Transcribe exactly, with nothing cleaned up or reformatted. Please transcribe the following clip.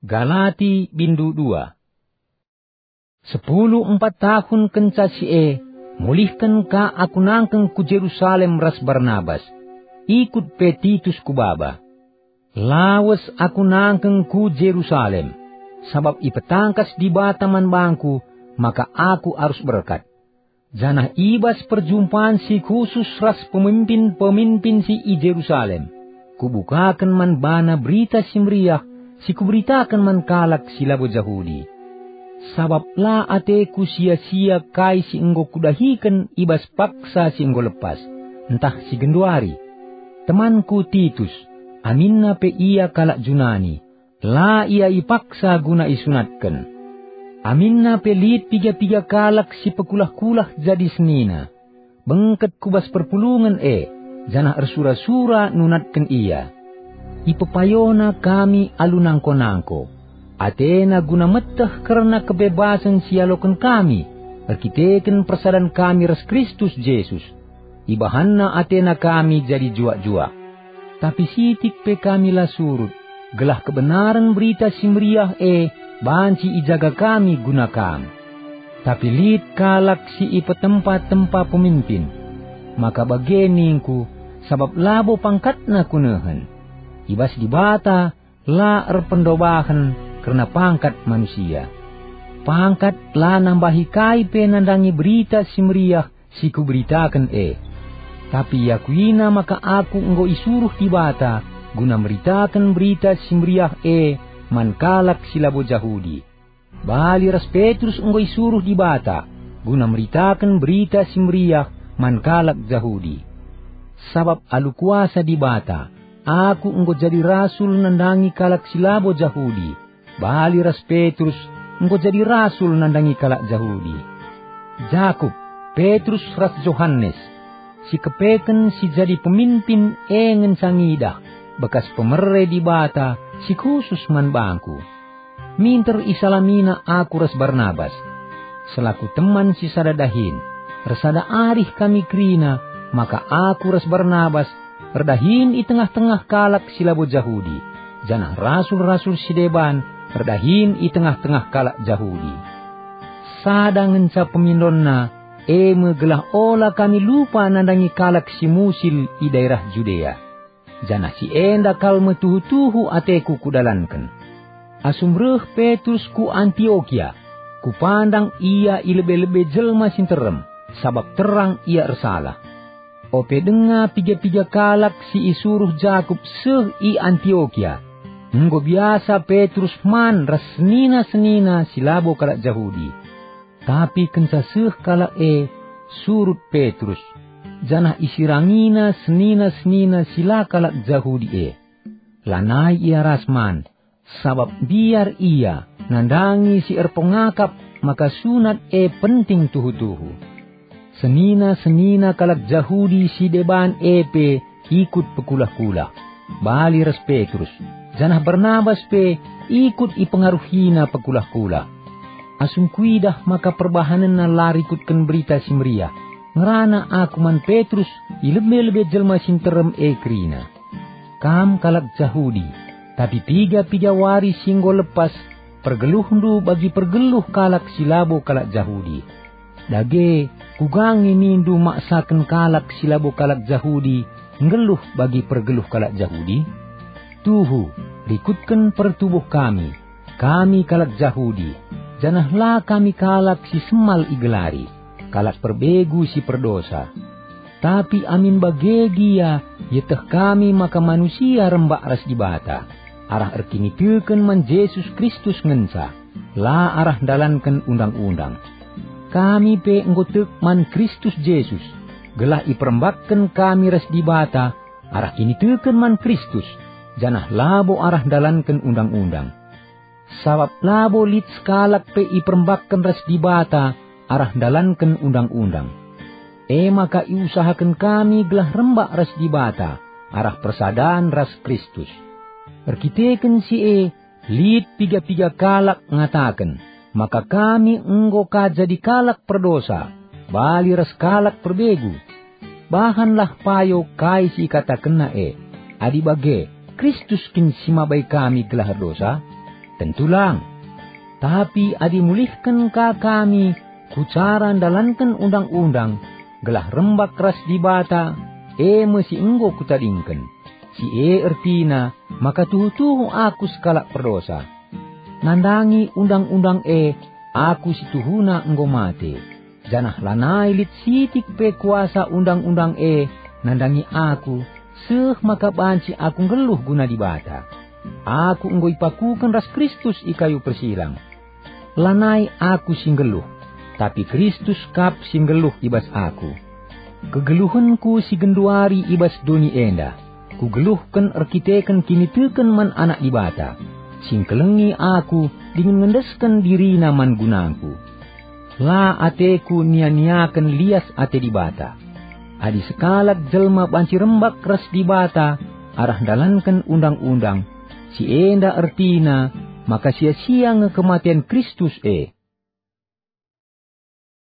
Galati bindu dua. Sepuluh empat tahun kenca si e, mulihken ka aku nangkeng ku Jerusalem ras Barnabas. Ikut pe Titus ku baba. Lawes aku nangkeng ku Jerusalem, sabap ipetangkas Dibata man bangku maka aku arus berkat. Janah i bas perjumpan si khusus ras pemimpin-pemimpin si i Jerusalem, kubukaken man bana Berita Si Meriah si kuberitaken man kalak si labo Jahudi. Sabap la ateku sia-sia kai si enggo kudahiken i bas paksa si enggo lepas, ntah si genduari. Temanku Titus, aminna pe ia kalak Junani, la ia ipaksa guna isunatken. Aminna pe lit piga-piga kalak si pekulah-kulah jadi senina. Bengket ku bas perpulungen e, janah ersura-sura nunatken ia. Ipepayona kami alu nangko-nangko. Atena guna meteh kerna kebebasen si ialoken kami, erkiteken persadan kami ras Kristus Jesus. IbahanNa atena kami jadi juak-juak. Tapi sitik pe kami la surut, gelah kebenaren Berita Si Meriah e banci ijaga kami guna kam. Tapi lit kalak si ipetempa-tempa pemimpin. Maka bage ningku, sabap labo pangkatna kunehen. I bas Dibata la erpendobahen kerna pangkat manusia. Pangkat la nambahi kai pe nandangi Berita Si Meriah si kuberitaken e. Tapi iakuina maka aku enggo isuruh Dibata guna meritaken Berita Si Meriah e man kalak si labo Jahudi. Bali ras Petrus enggo isuruh Dibata guna meritaken Berita Si Meriah man kalak Jahudi. Sabap alu kuasa Dibata, aku enggo jadi rasul nandangi kalak si labo Jahudi. Bali ras Petrus enggo jadi rasul nandangi kalak Jahudi. Jakup, Petrus ras Johanes, si kepeken si jadi pemimpin e ngenca ngidah bekas pemere Dibata si khusus man bangku. Minter isalamina aku ras Barnabas, selaku teman si sada dahin, ersada arih kami kerina maka aku ras Barnabas erdahin i tengah-tengah kalak si labo Jahudi, janah rasul-rasul si deban erdahin i tengah-tengah kalak Jahudi. Sada ngenca pemindonna, e me gelah ola kami lupa nandangi kalak si musil i daerah Judea. Janah si enda kal me tuhu-tuhu ateku kudalanken. Asum reh Petrus ku Antiokia, kupandang ia i lebe-lebe jelma si nterem, sabap terang ia ersalah. Ope denga piga-piga kalak si isuruh Jakup seh i Antiokia, enggo biasa Petrus man ras senina-senina si labo kalak Jahudi. Tapi kenca seh kalak e, surut Petrus, janah isirangina senina-senina si la kalak Jahudi e. Lanai ia ras man, sabap mbiar ia nandangi si erpengakap maka sunat e penting tuhu-tuhu. Senina-senina kalak Jahudi si deban e pe ikut pekulah-kulah, bali ras Petrus, janah Barnabas pe ikut ipengaruhina pekulah-kulah. Asum kuidah maka perbahanenna la rikutken Berita Si Meriah, ngerana aku man Petrus i lebe-lebe jelma si nterem e kerina. Kam kalak Jahudi, tapi piga-piga wari si enggo lepas pergeluhndu bagi pergeluh kalak si labo kalak Jahudi. Dage, kuga nge nindu maksaken kalak si labo kalak Jahudi nggeluh bagi pergeluh kalak Jahudi? Tuhu, rikutken pertubuh kami, kami kalak Jahudi, janah la kami kalak si semal igelari, kalak perbegu si perdosa. Tapi amin bage gia, ieteh kami maka manusia rembak ras Dibata, arah erkiniteken man Jesus Kristus ngenca, la arah ndalanken undang-undang. Kami pe enggo tek man Kristus Jesus, gelah iperembakken kami ras Dibata arah kiniteken man Kristus, janah labo arah ndalanken undang-undang. Sabap labo lit sekalak pe iperembakken ras Dibata arah ndalanken undang-undang. E maka iusahaken kami gelah rembak ras Dibata arah persadan ras Kristus. Erkiteken si e, lit piga-piga kalak ngataken maka kami enggo ka jadi kalak perdosa, bali ras kalak perbegu. Bahanlah payo kai si ikatakenna e. Adi bage, Kristus kin si mabai kami gelah erdosa? Tentu lang. Tapi adi mulihken ka kami ku cara ndalanken undang-undang, gelah rembak ras Dibata, e me si enggo kutadingken. Si e ertina maka tuhu-tuhu aku sekalak perdosa. Nandangi undang-undang e, aku si tuhuna enggo mate, janah lanai lit sitik pe kuasa undang-undang e nandangi aku, seh maka banci aku nggeluh guna Dibata. Aku enggo ipakuken ras Kristus i kayu persilang. Lanai aku si nggeluh, tapi Kristus kap si nggeluh i bas aku. Kegeluhenku si genduari i bas doni enda, kugeluhken erkiteken kiniteken man Anak Dibata, si ngkelengi aku dingen ngendesken diriNa man gunangku. La ateku nia-niaken lias ate Dibata. Adi sekalak jelma banci rembak ras Dibata arah ndalanken undang-undang, si enda ertina maka sia-sia nge kematen Kristus e.